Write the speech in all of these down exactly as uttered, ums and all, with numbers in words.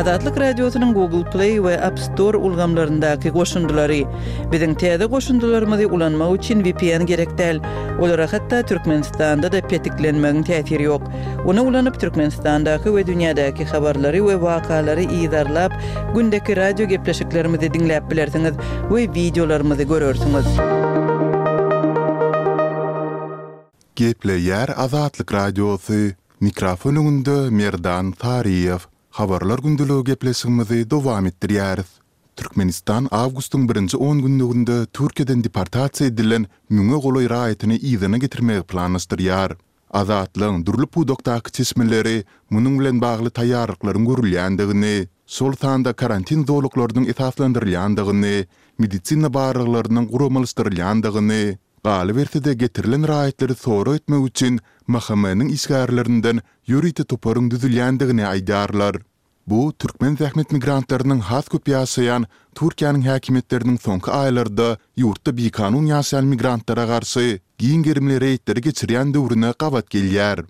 Azatlyk Radiosynyň Google Play we App Store ulgamlaryndaky goşundylary. Biziň täze goşundylarymyzy ulanmak üçin V P N gerek däl. Olara hatda Türkmenistanda-da petiklenmegiň täsiri ýok. Ony ulanyp Türkmenistandaky we dünýädäki habarlary we wakalary yzarlap, gündeki radio gepleşiklerimizi diňläp bilersiňiz we wideolarymyzy görersiňiz. Gepleýär Azatlyk Radiosy. Mikrofon öňünde Merdan Taryýew. Habarlar gündeligi gepleşigimizi dowam etdirýäris. Türkmenistan awgustyň birinji on günlüginde Türkiýeden deportasiýa edilen müňe golaý raýatyny yzyna getirmegi planlaşdyrýar. Azatlygyň dürli pudakdaky çeşmeleri munuň bilen bagly taýýarlyklaryň görülýändigini, şol sanda karantin zolaklarynyň esaslandyrylýandygyny, medisina barlaglarynyň guramalaşdyrylýandygyny, galyberse-de getirilen raýatlary sorag etmek üçin M H M-niň işgärlerinden ýörite toparyň düzülýändigini aýdýarlar. Bu türkmen zähmet migrantlarynyň has köp ýaşaýan Türkiýäniň häkimiýetleriniň soňky aýlarda ýurtda bikanun ýaşaýan migrantlara garşy giň gerimli reýdleri geçirýän döwrüne gabat gelýär.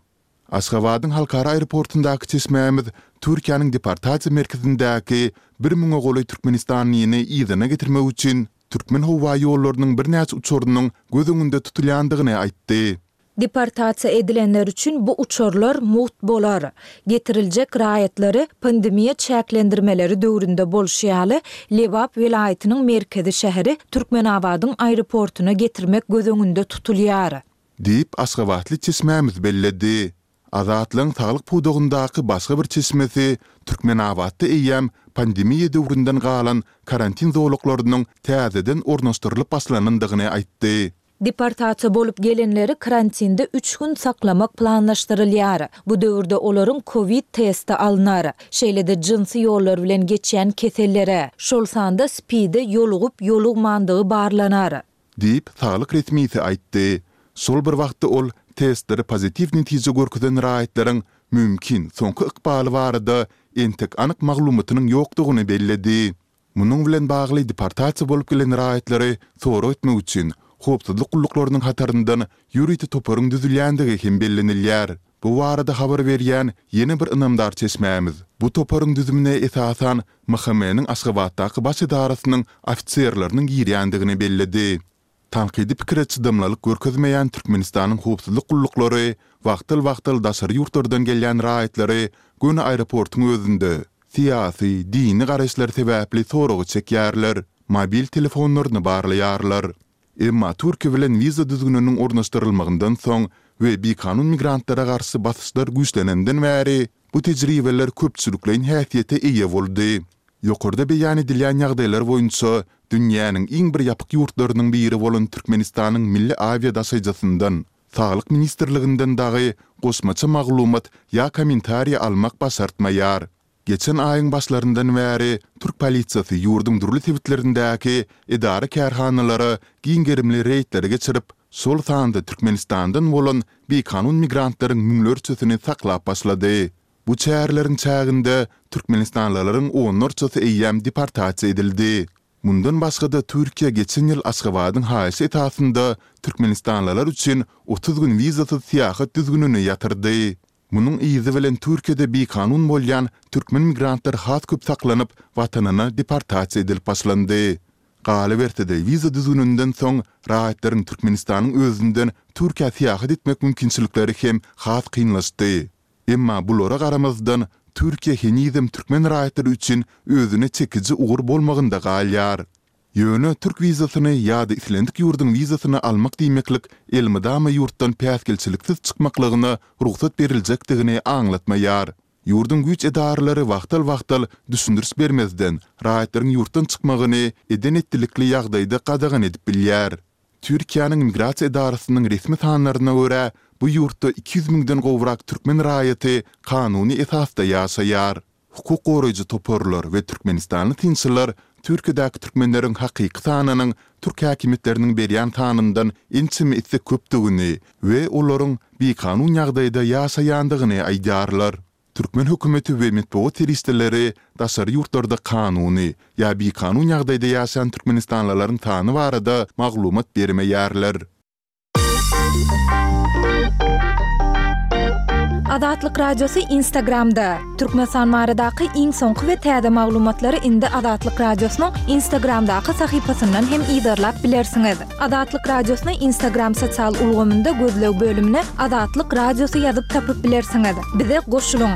Aşgabadyň halkara aeroportundaky çeşmämiz Türkiýäniň deportasiýa merkezindäki bir müňe golaý türkmenistanlyny yzyna getirmek üçin Türkmen howa ýollarynyň birnäçe uçarynyň göz öňünde tutulýandygyny aýtdy. Deportasiýa edilenler üçin bu uçarlar mugt bolar. Getiriljek raýatlary pandemiýa çäklendirmeleri döwründe bolşy ýaly Lebap welaýatynyň merkezi şäheri Türkmenabadyň aeroportuna getirmek göz öňünde tutulýar. Diýip, aşgabatly çeşmämiz belledi. Azatlygyň saglyk pudagyndaky başga bir çeşmesi Türkmenabatda eýýäm pandemiýa döwründen galan karantin zolaklarynyň täzeden ornaşdyrylyp başlanandygyny aýtdy. Deportasiýa bolup gelenleri karantinde üç gün saklamak planlaşdyrylýar. Bu döwürde olaryň COVID testi alnar. Şeýle-de jynsy ýollar bilen geçýän kesellere, şol sanda SPID-e ýolugyp ýolugmandygy barlanar. Diýip, saglyk resmisi aýtdy. Şol bir wagtda ol testleri pozitiw netije görkezen raýatlaryň mümkin soňky ykbaly barada entek anyk maglumatynyň ýokdugyny belledi. Munuň bilen bagly deportasiýa bolup gelen raýatlary sorag etmek üçin howpsuzlyk gulluklarynyň hataryndan ýörite toparyň düzülýändigi hem bellenilýär. Bu barada habar berýän ýene bir ynamdar çeşmämiz bu toparyň düzümine esasan M H M-niň Aşgabatdaky baş edarasynyň ofiserleriniň girýändigini belledi. Tankydy pikire çydamlylyk görkezmeýän Türkmenistanyň howpsuzlyk gulluklary wagtal-wagtal daşary ýurtlardan gelýän raýatlary göni aeroportuň özünde syýasy, dini garaýyşlar sebäpli soraga çekýärler, mobil telefonlaryny barlaýarlar. Emma Türkiýe bilen wiza düzgüniniň ornaşdyrylmagyndan soň we bikanun migrantlara garşy basyşlar güýçlenenden bäri bu tejribeler köpçülikleýin häsiýete eýe boldy. Ýokarda beýan edilýän ýagdaýlar boýunça dünýäniň iň bir ýapyk ýurtlarynyň biri bolan Türkmenistanyň milli awia daşaýjysyndan, Saglyk ministrliginden dagy goşmaça maglumat ýa kommentariý almak başartmaýar. Geçen aýyň başlaryndan bäri türk polisiýasy ýurduň dürli sebitlerindäki edara kärhanalara giň gerimli reýdleri geçirip, şol sanda Türkmenistandan bolan bikanun migrantlaryň müňlerçesini saklap başlady. Bu çäreleriň çäginde türkmenistanlylaryň onlarçasy eýýäm deportasiýa edildi. Mundan başga-da Türkiýe geçen ýyl Aşgabadyň haýyşy esasynda türkmenistanlylar üçin otuz gün wizasyz syýahat düzgünini ýatyrdy. Munuň yzy bilen Türkiýede bikanun bolýan türkmen migrantlary has köp saklanyp, watanyna deportasiýa edilip başlandy. Galyberse-de wiza düzgüninden soň raýatlaryň Türkmenistanyň özünden Türkiýä syýahat etmek mümkinçilikleri hem has kynlaşdy. Emma bulara garamazdan Türkiýe henizem türkmen raýatlary üçin özüne çekiji ugur bolmagynda galýar. Ýöne türk wizasyny ýa-da islendik ýurduň wizasyny almak diýmeklik elmydama ýurtdan päsgelçiliksiz çykmaklygyna rugsat beriljekdigini aňlatmaýar. Ýurduň güýç edaralary wagtal-wagtal düşündiriş bermezden raýatlaryň ýurtdan çykmagyny eden-etdilikli ýagdaýda gadagan edip bilýär. Türkiýäniň migrasiýa edarasynyň resmi sanlaryna görä, bu ýurtda iki ýüz müňden gowrak türkmen raýaty kanuny esasda ýaşaýar. Hukuk goraýjy toparlar we türkmenistanly synçylar Türkiýedäki türkmenleriň hakyky sanynyň türk häkimiýetleriniň berýän sanyndan ençeme esse köpdügini we olaryň bikanun ýagdaýda ýaşaýandygyny aýdýarlar. Türkmen hökümeti we metbugat serişdeleri daşary ýurtlarda kanuny ýa bikanun ýagdaýda ýaşaýan türkmenistanlylaryň sany barada maglumat bermeýärler. Azatlyk Radiosy Instagramda! Türkmenistan baradaky iň soňky we täze maglumatlary indi Azatlyk Radiosynyň Instagramdaky sahypasyndan hem yzarlap bilersiňiz. Azatlyk Radiosyny Instagram sosial ulgamynda gözleg bölümine Azatlyk Radiosy ýazyp tapyp bilersiňiz. Bize goşulyň!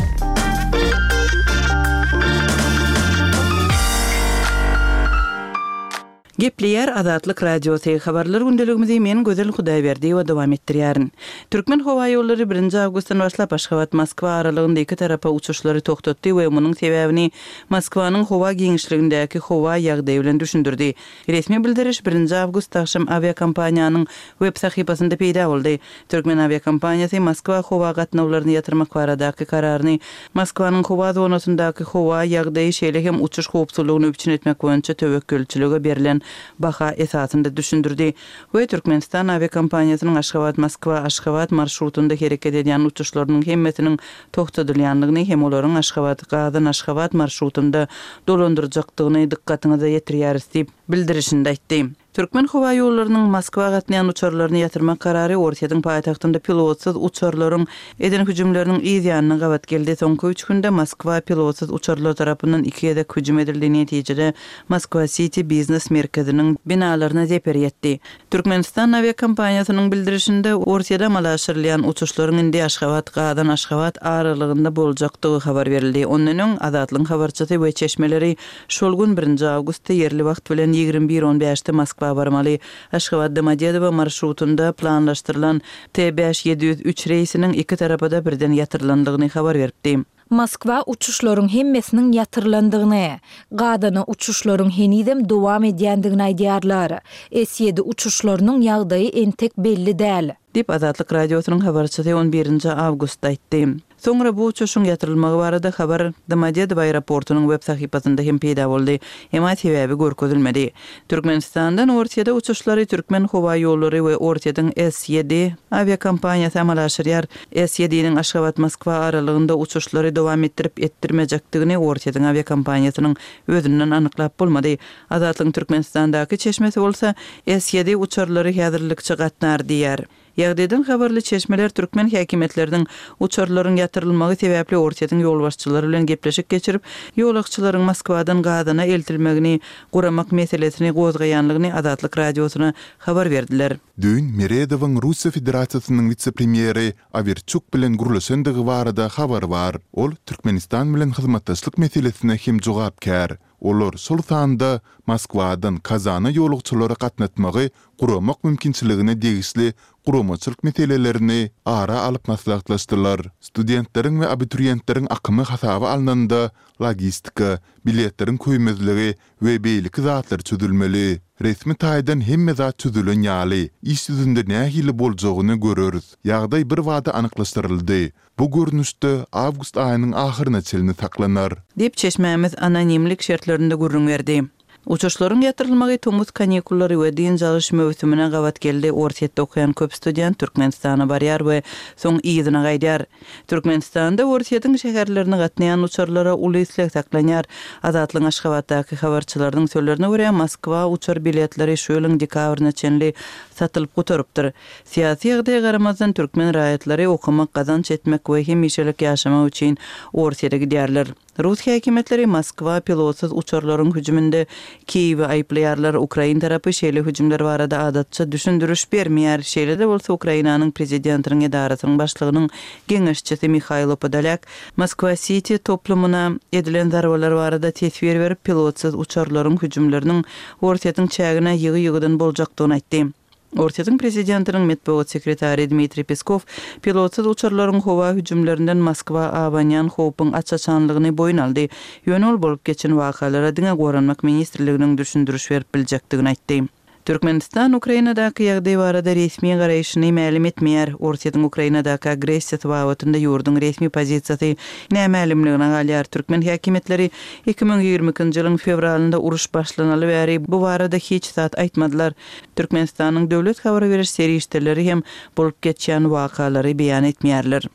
Gepleýär Azatlyk Radiosy, Habarlar gündeligimizi men Gözel Hudaýberdiýewa dowam etdirýärin. Türkmen howaýollary birinji awgustdan başlap Aşgabat-Moskwa aralygynda iki tarapa uçuşlary togtatdy we munuň sebäbini Moskwanyň howa giňişligindäki howa ýagdaýy bilen düşündirdi. Resmi bildiriş birinji awgust agşam awiakompaniýanyň web sahypasynda peýda boldy. Türkmen awiakompaniýasy Moskwa howa gatnawlaryny ýatyrmak baradaky kararyny Moskwanyň howa zonasyndaky howa ýagdaýy, şeýle hem uçuş howpsuzlygyny üpjün etmek boýunça töwekgelçilige berlen baha esasynda düşündirdi we Türkmenistan awiakompaniýasynyň Aşgabat-Moskwa-Aşgabat marşrutynda hereket edýän uçuşlarynyň hemmesiniň togtadylýandygyny hem olaryň Aşgabat-Gazan-Aşgabat marşrutynda dolandyrjakdygyny dykgatyňyza ýetirýäris diýip, bildirişinde aýtdy. Türkmen howa ýollarynyň Moskwa gatnaýan uçarlaryny ýatyrmak karary Orsýetiň paýtagtynda pilotsyz uçarlaryň eden hüjümleriniň yz ýanyna gabat geldi. Soňky üç günde Moskwa pilotsyz uçarlar tarapyndan iki gezek hüjüm edildi, netijede Moskwa-Siti biznes merkeziniň binalaryna zeper ýetdi. Türkmenistan awiakompaniýasynyň bildirişinde, Orsýede amala aşyrylýan uçuşlaryň indi Aşgabat-Gazan-Aşgabat aralygynda boljakdygy habar berildi. Ondan öň, Azatlygyň habarçysy we çeşmeleri şol gün birinji awgustda ýerli wagt bilen ýigrimi bir on bäşde Moskwa barmaly Aşgabat-Domodedowo marşrutynda planlaşdyrylan T bäş ýedi ýüz üç reýsiniň iki tarapa-da birden ýatyrylandygyny habar beripdi. Moskwa uçuşlaryň hemmesiniň ýatyrylandygyny, Gazana uçuşlaryň henizem dowam edýändigini aýdýarlar. S ýedi uçuşlarynyň ýagdaýy entek belli däl. Diýip, Azatlyk Radiosynyň habarçysy on birinji awgustda aýtdy. Soňra bu uçuşyň ýatyrylmagy barada habar Domodedowo aeroportunyň web sahypasynda hem peýda boldy, emma sebäbi görkezilmedi. Türkmenistandan Orsýete uçuşlary Türkmenhowaýollary we Orsýetiň S ýedi awiakompaniýasy amala aşyrýar. S ýediniň Aşgabat-Moskwa aralygynda uçuşlary dowam etdirip-etdirmejekdigini Orsýetiň awiakompaniýasynyň özünden anyklap bolmady. Azatlygyň Türkmenistandaky çeşmesi bolsa, S ýedi uçarlary häzirlikçe gatnar diýýär. Ýagdaýdan habarly çeşmeler türkmen häkimiýetleriniň uçarlaryň ýatyrylmagy sebäpli Orsýetiň ýolbaşçylary bilen gepleşik geçirip, ýolagçylaryň Moskwadan Gazana eltilmegini guramak meselesini gozgaýanlygyny Azatlyk Radiosyna habar berdiler. Düýn Meredowyň Russiýa Federasiýasynyň wise-premýeri Awerçuk bilen gürleşendigi barada habar bar. Ol Türkmenistan bilen hyzmatdaşlyk meselesine hem jogapkär. Olar şol sanda Moskwadan Kazana ýolagçylary gatnatmagy guramak mümkinçiligine degişli guramaçylyk meselelerini ara alyp maslahatlaşdylar. Studentleriň we abituriýentleriň akymy hasaba alnanda logistika, biletleriň köýmezligi we beýleki zatlar çözülmeli. Resmi taýdan hemme zat çözülen ýaly, iş ýüzünde nähili boljagyny göreris. Ýagdaý birbada anyklaşdyryldy. Bu görnüşde awgust aýynyň ahyryna çenli saklanar. Diýip, çeşmämiz anonimlik şertlerinde gürrüň berdi. Uçuşlaryň ýatyrylmagy tomus kanikullary we dynç alyş möwsümine gabat geldi. Orsýetde okaýan köp student Türkmenistana barýar we soň yzyna gaýdýar. Türkmenistanda Orsýetiň şäherlerine gatnaýan uçarlara uly isleg saklanýar. Azatlygyň Aşgabatdaky habarçylarynyň sözlerine görä, Moskwa uçar biletleri şu ýylyň dekabryna çenli satylyp gutarypdyr. Syýasy ýagdaýa garamazdan, türkmen raýatlary okamak, gazanç etmek we hemişelik ýaşamak üçin Orsýete gidýärler. Rus häkimiýetleri Moskwa pilotsyz uçarlaryň hüjüminde Kiýewi aýyplaýarlar. Ukrain tarapy şeýle hüjümler barada adatça düşündiriş bermeýär. Şeýle-de bolsa, Ukrainanyň prezidentiniň edarasynyň başlygynyň geňeşçisi Mihaýlo Podolýak Moskwa-Siti toplumyna edilen zarbalar barada teswir berip, pilotsyz uçarlaryň hüjümleriniň Orsýetiň çägine ýygy-ýygydan boljakdygyny aýtdy. Orsýetiň prezidentiniň metbugat sekretary Dmitriý Peskow pilotsyz uçarlaryň howa hüjümlerinden Moskwa abanýan howpuň aç-açanlygyny boýun aldy. Ýöne ol bolup geçen wakalara diňe Goranmak ministrliginiň düşündiriş berip biljekdigini aýtdy. Türkmenistan Ukrainadaky ýagdaý barada resmi garaýşyny mälim etmeýär. Orsýetiň Ukrainadaky agressiýasy babatynda ýurduň resmi pozisiýasy nämälimligine galýar. Türkmen häkimiýetleri iki müň ýigrimi ikinji ýylyň fewralynda uruş başlanaly bäri bu barada hiç zat aýtmadylar. Türkmenistanyň döwlet habar beriş serişdeleri hem bolup geçýän wakalary beýan etmeýärler.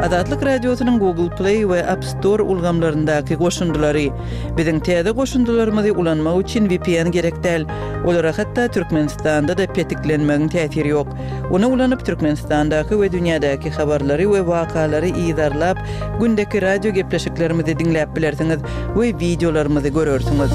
Azatlyk Radiosynyň Google Play we App Store ulgamlaryndaky goşundylary. Biziň täze goşundylarymyzy ulanmak üçin V P N gerek däl. Olara hatda Türkmenistanda-da petiklenmegiň täsiri ýok. Ony ulanyp Türkmenistandaky we dünýädäki habarlary we wakalary yzarlap, gündeki radio gepleşiklerimizi diňläp bilersiňiz we wideolarymyzy görersiňiz.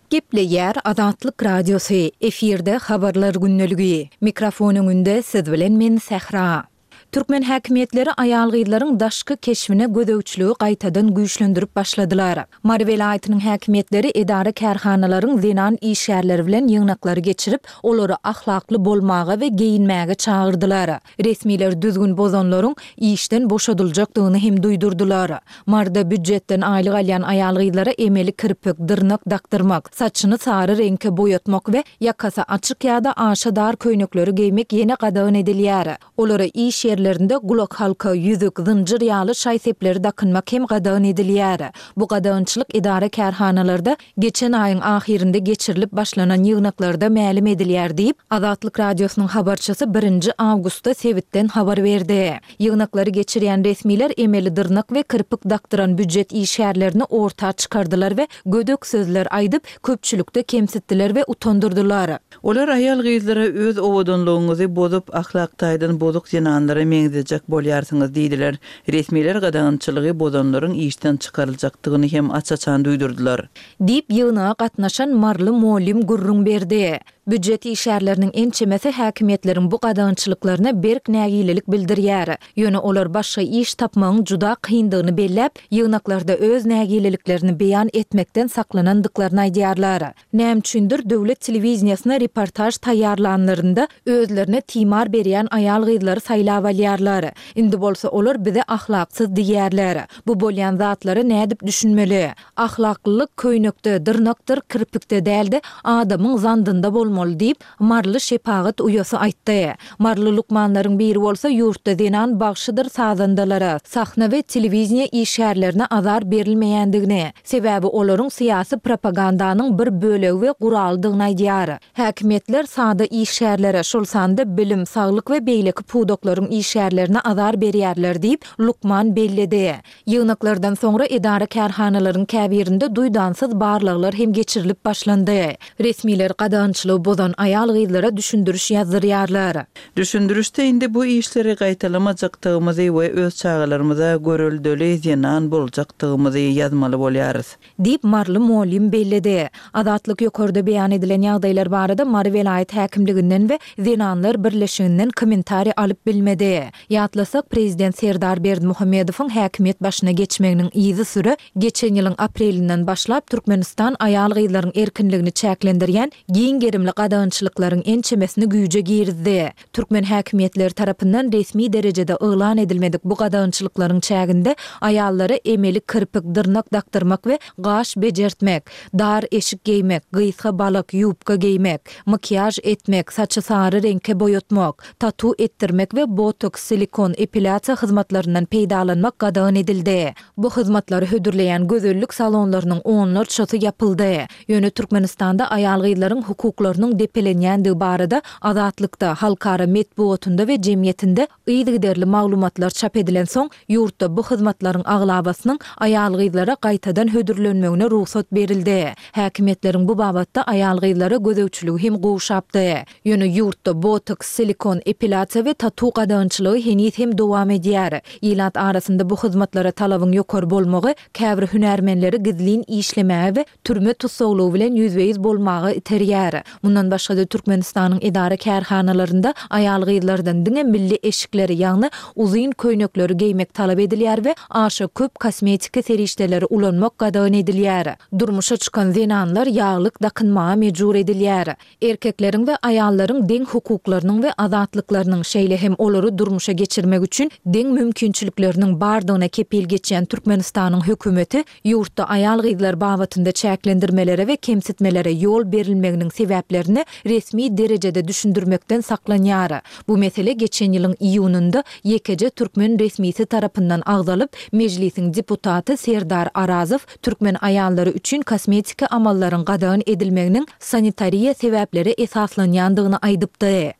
Gepleýär Azatlyk Radiosy, efirde habarlar gündeligi. Mikrofon öňünde siz bilen men Sähra. Türkmen häkimiýetleri aýal-gyzlaryň daşky keşbine gözegçiligi gaýtadan güýçlendirip başladylar. Mary welaýatynyň häkimiýetleri edara kärhanalaryň zenan işgärleri bilen ýygnaklary geçirip, olary ahlakly bolmaga we geýinmäge çagyrdylar. Resmiler düzgün bozanlaryň işden boşadyljakdygyny hem duýdurdylar. Maryda býujetden aýlyk alýan aýal-gyzlara emeli kirpik, dyrnak dakdyrmak, saçyny sary reňke boýatmak we ýakasy açyk ýa-da aşa dar köýnekleri geýmek ýene gadagan edilýär. Olara iş ýerlerinde gulakhalka, ýüzük, zynjyr ýaly şaý-sepleri dakynmak hem gadagan edilýär. Bu gadagançylyk edara kärhanalarda geçen aýyň ahyrynda geçirilip başlanan ýygnaklarda mälim edilýär diýip, Azatlyk Radiosynyň habarçysy birinji awgustda sebitden habar berdi. Ýygnaklary geçirýän resmiler emeli dyrnak we kirpik dakdyran býujet işgärlerini orta çykardylar we gödek sözler aýdyp, köpçülikde kemsitdiler we utandyrdylar. Olar aýal-gyzlara öz owadanlygyňyzy bozup, ahlak taýdan bozuk zenanlara meňzejek bolýarsyňyz diýdiler. Resmiler gadagançylygy bozanlaryň işden çykaryljakdygyny hem aç-açan duýdurdylar. Diýip, ýygnaga gatnaşan maryly mugallym gürrüň berdi. Býujet işgärleriniň ençemesi häkimiýetleriň bu gadagançylyklaryna berk nägilelik bildirýär. Ýöne olar başga iş tapmagyň juda kyndygyny belläp, ýygnaklarda öz nägileliklerini beýan etmekden saklanandyklaryny aýdýarlar. Näme üçindir döwlet telewideniýesine reportaž taýýarlanlarynda özlerine timar berýän aýal-gyzlary saýlap alýarlar. Indi bolsa olar bize ahlaksyz diýýärler. Bu bolýan zatlara nädip düşünmeli? Ahlaklylyk köýnekde, dyrnakdyr kirpikde däl-de, adamyň zandynda bolmaly diýip, maryly şepagat uýasy aýtdy. Maryly lukmanlaryň biri bolsa ýurtda zenan bagşydyr sazandalara, sahna we telewideniýe işgärlerine azar berilmeýändigini, sebäbi olaryň syýasy propagandanyň bir bölegi we guralydygyny aýdýar. Häkimiýetler sada işgärlere, şol sanda bilim, saglyk we beýleki pudaklaryň işgärlerine azar berýärler diýip, lukman belledi. Ýygnaklardan soňra edara kärhanalaryň käbirinde duýdansyz barlaglar hem geçirilip başlandy. Resmiler gadagançylygy bozan aýal-gyzlara düşündiriş ýazdyrýarlar. Düşündirişde indi bu işleri gaýtalamajakdygymyzy we öz çagalarymyza göreldeli zenan boljakdygymyzy ýazmaly bolýarys. Diýip, maryly mugallym belledi. Azatlyk ýokarda beýan edilen ýagdaýlar barada Mary welaýat häkimliginden we Zenanlar birleşiginden kommentariý alyp bilmedi. Ýatlasak, prezident Serdar Berdimuhamedowyň häkimiýet başyna geçmeginiň yzysüre geçen ýylyň aprelinden başlap Türkmenistan aýal-gyzlaryň erkinligini çäklendirýän giň gerimli gadagançylyklaryň ençemesini güýje girizdi. Türkmen häkimiýetleri tarapyndan resmi derejede yglan edilmedik bu gadagançylyklaryň çäginde aýallara emeli kirpik, dyrnak dakdyrmak we gaş bejertmek, dar eşik geýmek, gysga balak, ýubka geýmek, makiýaž etmek, saçy sary reňke boýatmak, tatu etdirmek we botoks, silikon, epilýasiýa hyzmatlaryndan peýdalanmak gadagan edildi. Bu hyzmatlary hödürleýän gözellik salonlarynyň onlarçasy ýapyldy. Ýöne Türkmenistanda aýal-gyzlaryň hukuklarynyň depelenýändigi barada Azatlykda, halkara metbugatynda we jemgyýetinde yzygiderli maglumatlar çap edilensoň, ýurtda bu hyzmatlaryň aglabasynyň aýal-gyzlara gaýtadan hödürlenmegine rugsat berildi. Häkimiýetleriň bu babatda aýal-gyzlara gözegçiligi hem gowşapdy. Ýöne ýurtda botoks, silikon, epilýasiýa we tatu gadagançylygy heniz hem dowam edýär. Ilat arasynda bu hyzmatlara talabyň ýokary bolmagy käbir hünärmenleri gizlin işlemäge we türme tussaglygy bilen ýüzbe-ýüz bolmaga iterýär. Mundan başga-da Türkmenistanyň edara kärhanalarynda aýal-gyzlardan diňe milli eşikleri, ýagny uzyn köýnekleri geýmek talap edilýär we aşa köp kosmetiki serişdeleri ulanmak gadagan edilýär. Durmuşa çykan zenanlar ýaglyk dakynmaga mejbur edilýär. Erkekleriň we aýallaryň deň hukuklarynyň we azatlyklarynyň, şeýle hem olary durmuşa geçirmek üçin deň mümkinçilikleriniň bardygyna kepil geçýän Türkmenistanyň hökümeti ýurtda aýal-gyzlar babatynda çäklendirmelere we kemsitmelere ýol berilmeginiň sebäplerini resmi derejede düşündirmekden saklanýar. Bu mesele geçen ýylyň iýunynda ýekeje türkmen resmisi tarapyndan agzalyp, Mejlisiň deputaty Serdar Arazow türkmen aýallary üçin kosmetiki amallaryň gadagan edilmeginiň sanitariýa sebäplere esaslanýandygyny aýdypdy.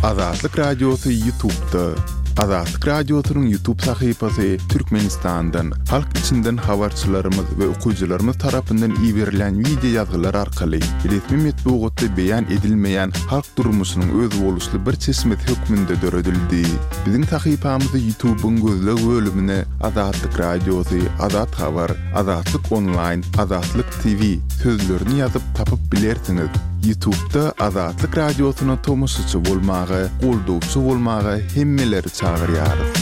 Azatlyk Radiosy YouTube'da. Azatlyk Radiosynyň YouTube sahypasy Türkmenistandan, halk içinden habarçylarymyz we okyjylarymyz tarapyndan iberilen wideo ýazgylar arkaly resmi metbugatda beýan edilmeýän halk durmuşynyň özboluşly bir çeşmesi hökmünde döredildi. Biziň sahypamyzy YouTube'yň gözleg bölümine Azatlyk Radiosy, Azat Habar, Azatlyk Onlaýn, Azatlyk T V sözlerini ýazyp tapyp bilersiňiz. YouTube'da Azatlyk Radiosyna tomaşaçy bolmaga, goldawçy bolmaga hemmeleri çagyrýarys.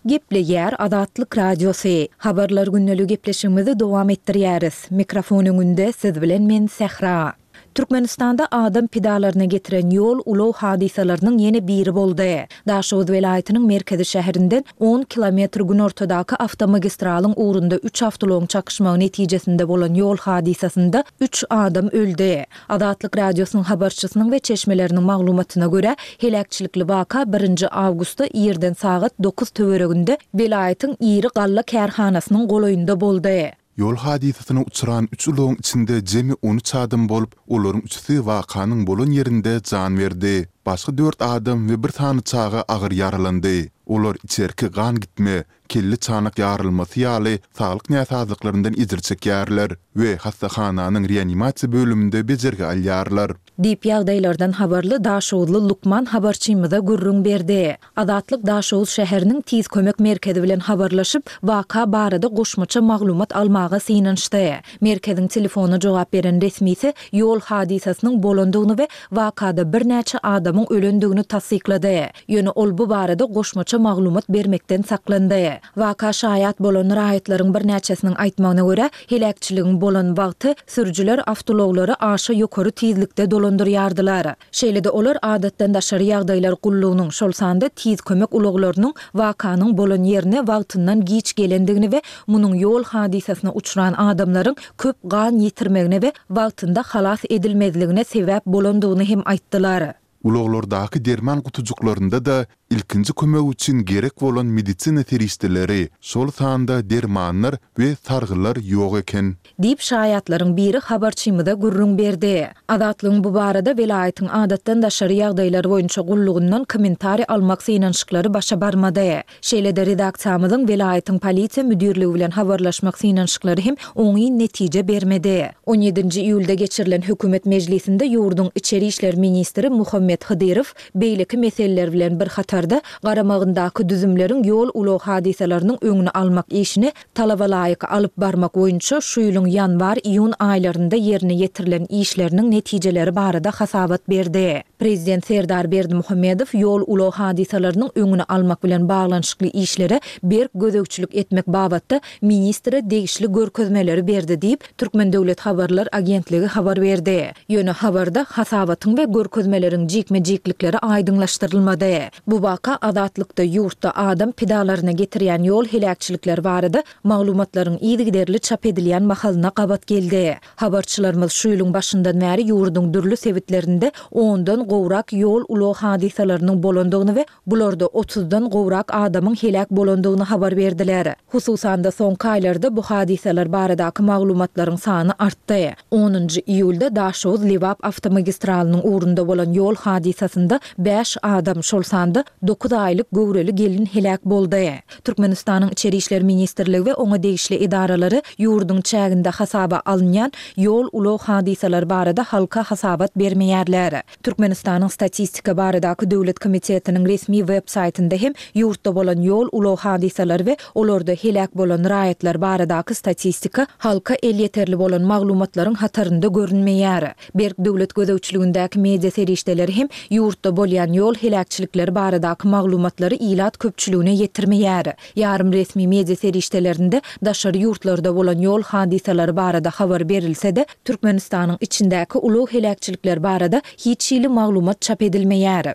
Gepleýär Azatlyk Radiosy. Habarlar gündelik gepleşigimizi dowam etdirýäris. Mikrofon öňünde siz bilen men Sähra. Türkmenistanda adam pidalaryna getiren ýol ulag hadysalarynyň ýene biri boldy. Daşoguz welaýatynyň merkezi şäherinden on kilometr günortadaky awtomagistralyň ugrunda üç awtoulagyň çakyşmagy netijesinde bolan ýol hadysasynda üç adam öldi. Azatlyk Radiosynyň habarçysynyň we çeşmeleriniň maglumatyna görä, heläkçilikli waka birinji awgustda irden sagat dokuz töwereginde welaýatyň iri galla kärhanasynyň golaýynda boldy. Ýol hadysasyna uçran üç ulagyň içinde jemi on üç adam bolup, olaryň üçüsi wakanyň bolan ýerinde jan berdi. Başga dört adam we bir sany çaga agyr ýaralandy. Olar içerki gan gitme, kelli çanak ýarylmasy ýaly saglyk näsazlyklaryndan ejir çekýärler we hastahananyň reanimasiýa bölüminde bejergi alýarlar. Diýip ýagdaýlardan habarly Daşoguzly Lukman habarçymyza gürrüň berdi. Azatlyk Daşoguz şäheriniň tiz kömek merkezi bilen habarlaşyp, waka barada goşmaça maglumat almaga synanyşdy. Merkeziň telefona jogap beren resmisi ýol hadysasynyň bolandygyny we wakada birnäçe adamyň ölendigini tassyklady. Ýöne ol bu barada goşmaça maglumat bermekden saklandy. Waka şaýat bolan raýatlaryň birnäçesiniň aýtmagyna görä, heläkçiligiň bolan wagty sürüjiler awtoulaglary aşa ýokary tizlikde dolandyrýardylar. Şeýle-de olar adatdan daşary ýagdaýlar gullugynyň, şol sanda tiz kömek ulaglarynyň wakanyň bolan ýerine wagtyndan giç gelendigini we munuň ýol hadysasyna uçran adamlaryň köp gan ýitirmegine we wagtynda halas edilmezligine sebäp bolandygyny hem aýtdylar. Ulaglardaky derman gutujyklarynda da ilkinji kömek üçin gerek bolan medisina serişdeleri, şol sanda dermanlar we sargylar ýok eken. Diýip şaýatlaryň biri habarçymyza gürrüň berdi. Azatlygyň bu barada welaýatyň adatdan daşary ýagdaýlar boýunça gullugyndan kommentariý almak synanyşyklary başa barmady. Şeýle-de redaksiýamyzyň welaýatyň polisiýa müdirligi bilen habarlaşmak synanyşyklary hem oňyn netije bermedi. on ýedinji iýulda geçirilen hökümet mejlisinde ýurduň içeri işler ministri Muhammet Hydyrow beýleki meseleler bilen bir hatarda garamagyndaky düzümleriň ýol ulag hadysalarynyň öňüni almak işini talaba laýyk alyp barmak boýunça şu ýylyň ýanwar-iýun aýlarynda ýerine ýetirilen işleriniň netijeleri barada hasabat berdi. Prezident Serdar Berdimuhamedow ýol ulag hadysalarynyň öňüni almak bilen baglanyşykly işlere berk gözegçilik etmek babatda ministre degişli görkezmeleri berdi diýip, Türkmen Döwlet Habarlar Agentligi habar berdi. Ýöne habarda hasabatyň we görkezmeleriň jikme-jiklikleri aýdyňlaşdyrylmady. Bu waka Azatlykda ýurtda adam pidalaryna getirýän ýol heläkçilikleri barada maglumatlaryň yzygiderli çap edilýän mahalyna gabat geldi. Habarçylarymyz şu ýylyň başyndan bäri ýurduň dürli sebitlerinde ondan gowrak ýol ulag hadysalarynyň bolandygyny we bularda otuzdan gowrak adamyň heläk bolandygyny habar berdiler. Hususan-da soňky aýlarda bu hadysalar baradaky maglumatlaryň sany artdy. Onunjy iýulda Daşoguz-Lebap awtomagistralynyň ugrunda bolan ýol hadysasynda bäş adam, şol sanda dokuz aýlyk göwreli gelin heläk boldy. Türkmenistanyň İçeri İşler Ministrligi we oňa degişli edaralary ýurduň çäginde hasaba alynýan ýol ulag hadysalary barada halka hasabat bermeýärler. Türkmenistanyň Statistika baradaky Döwlet Komitetiniň resmi web saýtynda hem ýurtda bolan ýol ulag hadysalary we olarda heläk bolan raýatlar baradaky statistika halka elýeterli bolan maglumatlaryň hatarynda görünmeýär. Berk döwlet gözegçiligindäki media serişdeleri hem ýurtda bolýan ýol heläkçilikleri baradaky maglumatlary ilat köpçüligine ýetirmeýär. Ýarym resmi media serişdelerinde daşary ýurtlarda bolan ýol hadysalary barada habar berilse-de, Türkmenistanyň içindäki ulag heläkçilikleri barada hiç hili maglumat çap edilmeýär.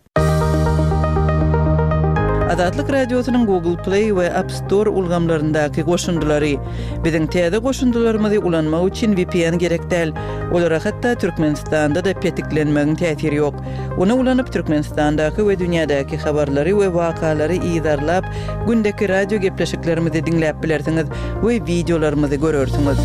Azatlyk Radiosynyň Google Play we App Store ulgamlaryndaky goşundylary. Biziň täze goşundylarymyzy ulanmak üçin V P N gerek däl. Olara hatda Türkmenistanda da petiklenmegiň täsiri ýok. Ony ulanyp Türkmenistandaky we dünýädäki habarlary we wakalary yzarlap, gündeki radio gepleşiklerimizi diňläp bilersiňiz we videolarymyzy görersiňiz.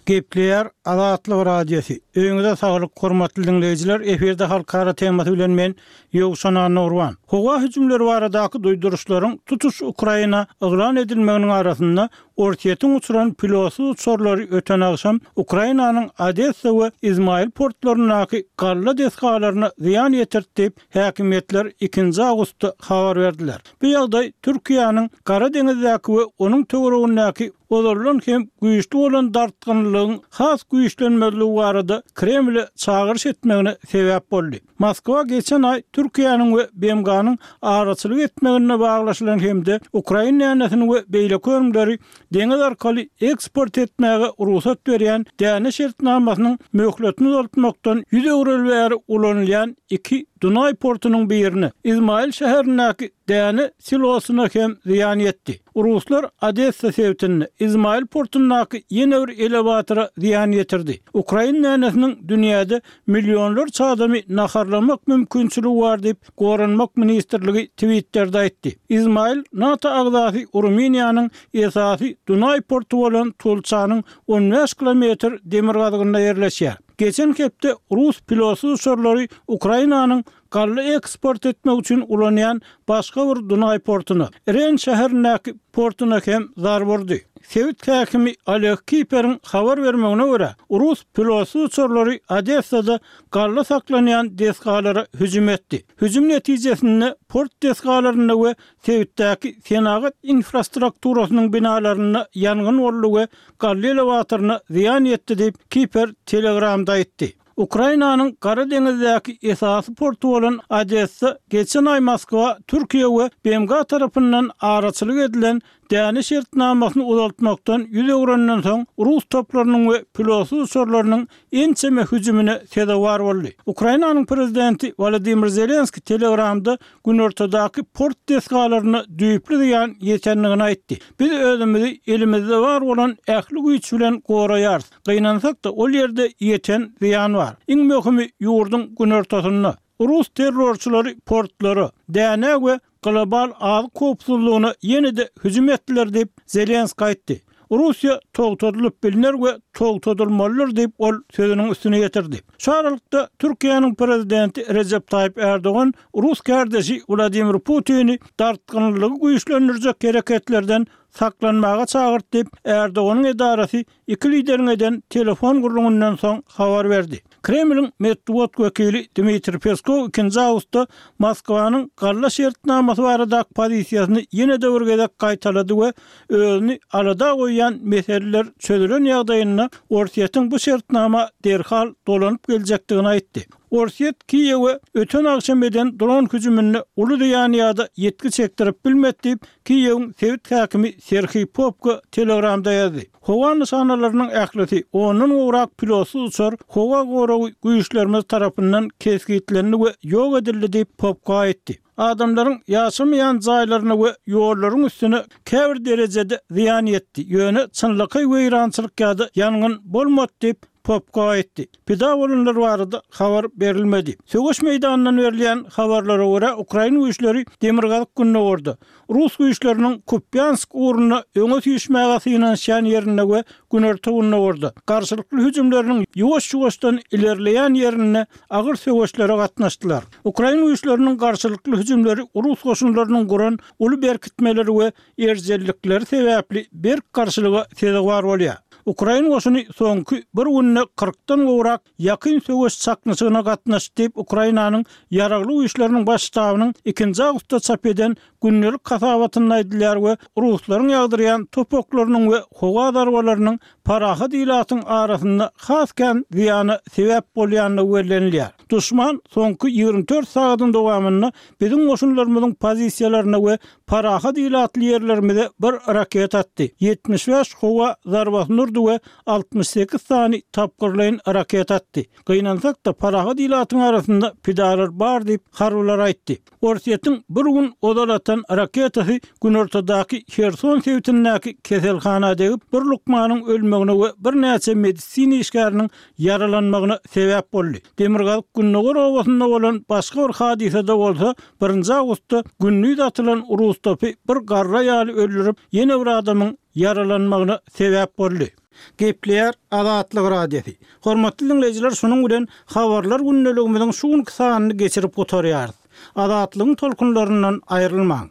Gepleýär Azatlyk Radiosy. Öýüňize saglyk, hormatly diňleýjiler. Efirde halkara temasy bilen men Ýowşan Annagurban. Howa hüjümleri baradaky duýduryşlaryň tutuş Ukraina yglan edilmeginiň arasynda Orsýetiň uçuran pilotsyz uçarlary öten agşam Ukrainanyň Odessa we Izmail portlaryndaky galla desgalaryna zyýan ýetirdi diýip, häkimiýetler ikinji awgustda habar berdiler. Bu ýagdaý Türkiýäniň Gara deňizdäki we onuň töweregindäki ozaldan hem güýçli bolan dartgynlygyň has güýçlenmezligi barada Kremle çagyryş etmegine sebäp boldy. Moskwa geçen aý Türkiýäniň we B M G-nyň araçylyk etmeginde baglaşylan hem-de ukrain dänesini we beýleki önümleri deňiz arkaly eksport etmäge rugsat berýän däne şertnamasynyň möhletini uzaltmakdan ýüz öwreli bäri ulanylýan iki Dunaý portunyň birine, Izmail şäherindäki däne silosyna hem zyýan ýetdi. Ruslar Odessa sebitinde Izmail portundaky ýene bir elewatora zyýan ýetirdi. Ukrain dänesiniň dünýäde millionlarça adamy naharlamak mümkinçiligi bar diýip, Goranmak ministrligi Twitter'de aýtdy. Izmail NATO agzasy Rumyniýanyň esasy Dunaý porty bolan Tulçanyň on bäş kilometr demirgazygynda ýerleşýär. Geçen hepde rus pilotsyz uçarlary Ukrainanyň galla eksport etmek üçin ulanýan başga bir Dunaý portuna, Ren şäherindäki portuna hem zarba urdy. Sebit häkimi Oleg Kiperiň habar bermegine görä, rus pilotsyz uçarlary Odessada galla saklanýan desgalara hüjüm etdi. Hüjüm netijesinde port desgalarynda we sebitdäki senagat infrastrukturasynyň binalarynda ýangyn boldy we galla elewatoryna zyýan ýetdi diýip, Kiper Telegramda aýtdy. Ukrainanyň Gara deňizdäki esasy porty bolan Odessa geçen aý Moskwa, Türkiýe we B M G tarapyndan araçylyk edilen däne şertnamasyny uzaltmakdan ýüz öwrenden soň rus toplarynyň we pilotsyz uçarlarynyň ençeme hüjümine sezewar boldy. Ukrainanyň prezidenti Wladimir Zelenski Telegramda günortadaky port desgalaryna düýpli zyýan ýetendigini aýtdy. Biz özümizi elimizde bar bolan ähli güýç bilen goraýarys. Gynansak-da ol ýerde ýeten zyýan bar. Iň möhümi ýurduň günortasynda. Rus terrorçylary portlara, däne we global azyk howpsuzlygyna ýene-de hüjüm etdiler diýip Zelenski aýtdy. Russiýa togtadylyp bilner we togtadylmalydyr diýip ol sözüniň üstüne ýetirdi. Şu aralykda Türkiýäniň prezidenti Rejep Taýyp Erdogan rus kardeşi Wladimir Putini dartgynlygy güýçlendirjek hereketlerden saklanmaga çagyrdy diýip Erdoganyň edarasy iki lideriň eden telefon gürrüňinden soň habar berdi. Kremliň metbugat wekili Dmitriý Peskow ikinji awgustda Moskwanyň galla şertnamasy baradaky pozisiýasyny ýene-de bir gezek gaýtalady we özüni alada goýýan meseleler çözülen ýagdaýynda Orsýetiň bu şertnama derhal dolanyp geljekdigini aýtdy. Orsýet Kiýewe öten agşam eden dron hüjüminde uly zyýan ýa-da ýetki çekdirip bilmedi diýip Kiýewiň sebit häkimi Serhiý Popko Telegramda ýazdy. Howa nyşanalarynyň ählisi ondan gowrak pilotsyz uçar howa goragy güýçlerimiz tarapyndan kesgitlendi we ýok edildi diýip Popko aýtdy. Adamlaryň ýaşamaýan jaýlaryna we ýollaryň üstüne käbir derejede zyýan ýetdi. Ýöne çynlakaý weýrançylyk ýa-da ýangyn bolmady diýip Popko aýtdy. Pida bolanlar barada habar berilmedi. Söweş meýdanyndan berilýän habarlara görä Ukraina güýçleri Demirgazyk Gündogarda Rus güýçleriniň Kupýansk ugrunda öňe süýşmäge synanyşýan ýerinde we Günorta Gündogarda garşylykly hüjümleriniň ýuwaş-ýuwaşdan ilerleýän ýerinde agyr söweşlere gatnaşdylar. Ukraina güýçleriniň garşylykly hüjümleri Rus goşunlarynyň guran uly berkitmeleri we erjellikleri sebäpli berk garşylyga sezewar bolýar. Ukraina goşuny soňky bir günde kyrkdan gowrak ýakyn söweş çaknyşygyna gatnaşdy diýip Ukrainanyň ýaragly güýçleriniň baş ştabynyň ikinji awgustda çap eden gündelik hasabatynda aýdylýar we ruslaryň ýagdyrýan topaklarynyň we howa zarbalarynyň parahat ilatyň arasynda has kän zyýana sebäp bolýandygy bellenilýär. Duşman soňky ýigrimi dört sagatyň dowamynda biziň goşunlarymyzyň pozisiýalaryna we parahat ilatly ýerlerimize bir raket atdy. Ýetmiş bäş howa zarbasyny urdy we altmyş sekiz sany tapgyrlaýyn raket atdy. Gynansak-da parahat ilatyň arasynda pidalar bar diýip harbylar aýtdy. Orsýetiň bir gün ozal atan raketasy Günortadaky Herson sebitindäki keselhana degip, bir lukmanyň ölmegine we birnäçe medisina işgäriniň ýaralanmagyna sebäp boldy. Demirgazyk Gündogar obasynda bolan başga bir hadysada bolsa, birinji awgustda gündüz atylan rus topy bir garra ýaly öldürip, ýene bir adamyň ýaralanmagyna sebäp boldy. Gepleýär Azatlyk Radiosy. Hormatly diňleýjiler şunuň bilen Habarlar gündeligimiziň şu günki sanyny geçirip gutarýarys. Azatlygyň tolkunlaryndan aýrylmaň.